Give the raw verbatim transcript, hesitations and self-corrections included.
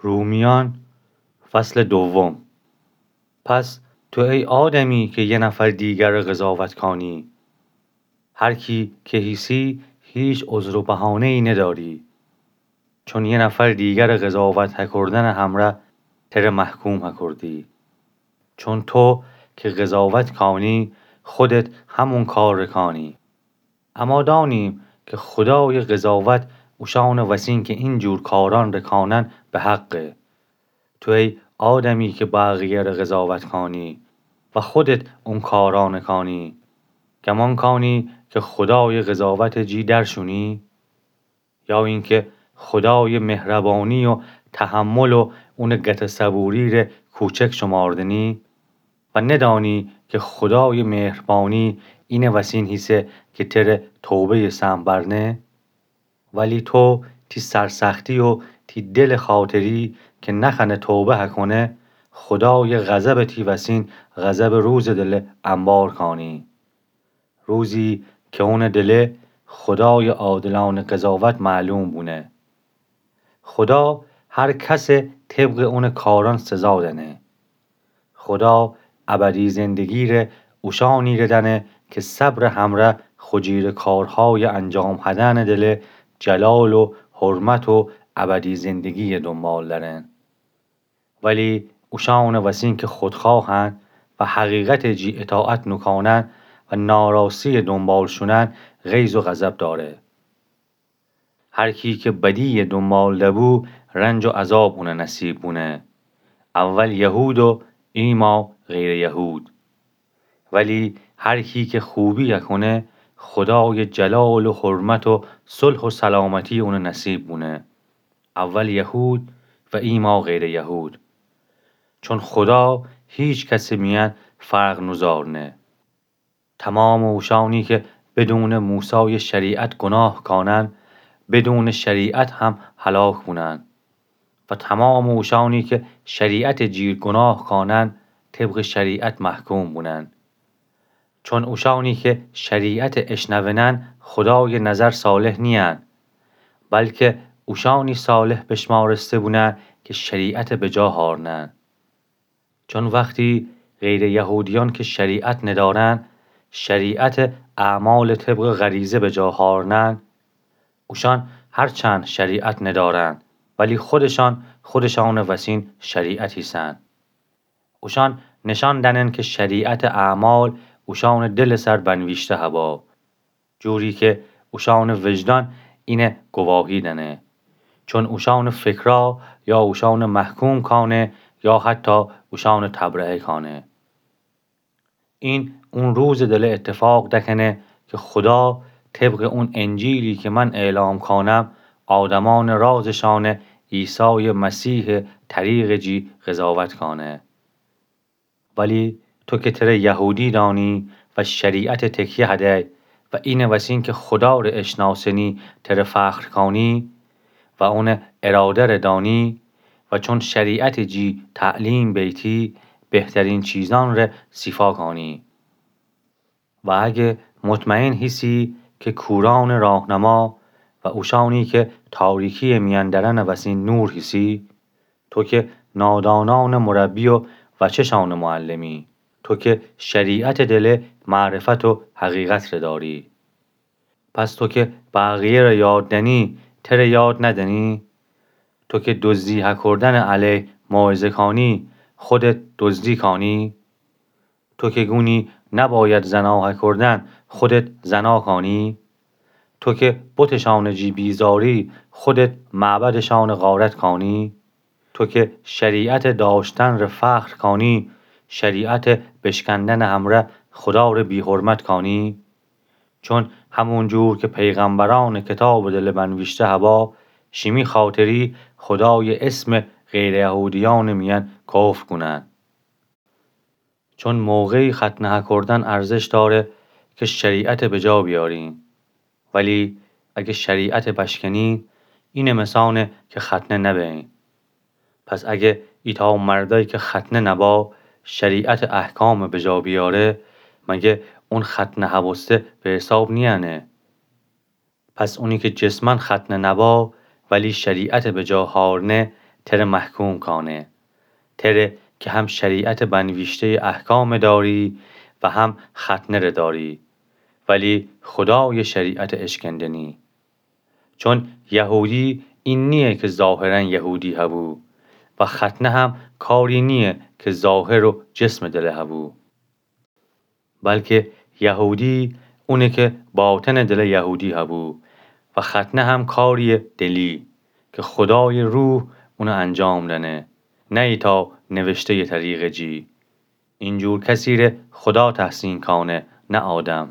رومیان، فصل دوم. پس تو ای آدمی که یه نفر دیگر قضاوت کانی، هر کی که هیسی هیچ عذر و بهانه‌ای نداری، چون یه نفر دیگر قضاوت هکردن همرأ تره محکوم هکردی. چون تو که قضاوت کانی، خودت همون کار کانی. اما دانیم که خدای قضاوت اوشان وسین که این جور کاران رکانن به حقه. تو ای آدمی که بقیه ره قضاوت کانی و خودت اون کاران کانی، گمان کانی که خدای قضاوت جی در شونی؟ یا اینکه خدای مهربانی و تحمل و اون گته صبوری ره کوچک شماردنی؟ و ندانی که خدای مهربانی اینه وسین هیسه که تره توبه‌یه سهم برنه؟ ولی تو تی سرسختی و تی دل خاطری که نخنه توبه هکونه، خدای غضب تی وسین غضب روز دله انبار کانی. روزی که اون دله خدای عادلان قضاوت معلوم بونه. خدا هر کس طبق اون کاران سزا دنه. خدا ابدی زندگی ره اوشانی ره دنه که صبر همره خو جیر کارهای انجام هدن دله جلال و حرمت و ابدی زندگی دنبال درن. ولی اوشان وسین که خودخواهن و حقیقت جی اطاعت نوکانن و ناراستی دنبال شونن، غیظ و غضب داره. هر کی که بدی دنبال دبو، رنج و عذاب اونه نصیب بونه. اول یهود و ایما غیر یهود. ولی هر کی که خوبی کونه، خدای جلال و حرمت و صلح و سلامتی اونه نصیب بونه. اول یهود و ایما غیر یهود. چون خدا هیچ کس میان فرق نوزارنه. تمام اوشانی که بدون موسی شریعت گناه کانن، بدون شریعت هم هلاک بونن. و تمام اوشانی که شریعت جیر گناه کانن، طبق شریعت محکوم بونن. چون اوشانی که شریعت اشنونن، خدای نظر صالح نیان، بلکه اوشانی صالح بشمارسته بونن که شریعت بجا هارنن. چون وقتی غیر یهودیان که شریعت ندارن، شریعت اعمال طبق غریزه بجا هارنن، اوشان هرچند شریعت ندارن، ولی خودشان خودشان وسین شریعت ایسن. اوشان نشان دنن که شریعت اعمال اوشان دل سر بنویشته هبا، جوری که اوشان وجدان اینه گواهی دنه. چون اوشان فکرا یا اوشان محکوم کانه یا حتی اوشان تبرئه کانه. این اون روز دله اتفاق دکنه که خدا طبق اون انجیلی که من اعلام کانم، آدمان رازشان عیسی مسیح طریق جی قضاوت کانه. ولی تو که تره یهودی دانی و شریعت تکیه هدی و اینه وسین که خدا ره اشناسنی تره فخر کانی و اون اراده ره دانی و چون شریعت جی تعلیم بیتی بهترین چیزان ره صیفا کانی. و اگه مطمئن هیسی که کوران راهنما و اوشانی که تاریکی میان درن وسین نور هیسی، تو که نادانان مربی و وچشان معلمی، تو که شریعت دله معرفت و حقیقت ره داری، پس تو که بقیه ره یاد دنی، تره یاد ندنی؟ تو که دزدی هکردن علیه موعظه کانی، خودت دزدی کانی؟ تو که گونی نباید زنا هکردن، خودت زنا کانی؟ تو که بتشان جی بیزاری، خودت معبدشان غارت کانی؟ تو که شریعت داشتن ره فخر کانی، شریعت بشکندن همره خدا ره بی‌حرمت کانی؟ چون همون جور که پیغمبران کتاب دله بنویشته هبا، شیمی خاطری خدای اسم غیر یهودیان میان کفر کونن. چون موقعی ختنه هکردن ارزش داره که شریعت بجا بیارین. ولی اگه شریعت بشکنین، اینه مثانه که ختنه نبین. پس اگه ایتا مردی که ختنه نبا، شریعت احکام بجا بیاره، مگه اون ختنه هبسته به حساب نیانه؟ پس اونی که جسماً ختنه نبا، ولی شریعت بجا هارنه، تره محکوم کانه. تره که هم شریعتٚ بنویشته‌یٚ احکامَ داری و هم ختنه‌ره داری، ولی خودایٚ شریعتَ اشکنده نی. چون یهودی این نییه که ظاهراً یهودی هبو و ختنه هم کاری نییه که ظاهر و جسمٚ دله هبو، بلکه یهودی اونه که باطنٚ دله یهودی هبو و ختنه هم کارییٚ دلی که خودایٚ روح اونَ انجام دأنه، نه ایتأ نوشته‌یٚ طریقٚ جی. اینجور کسیره خودا تحسین کانه، نه آدم.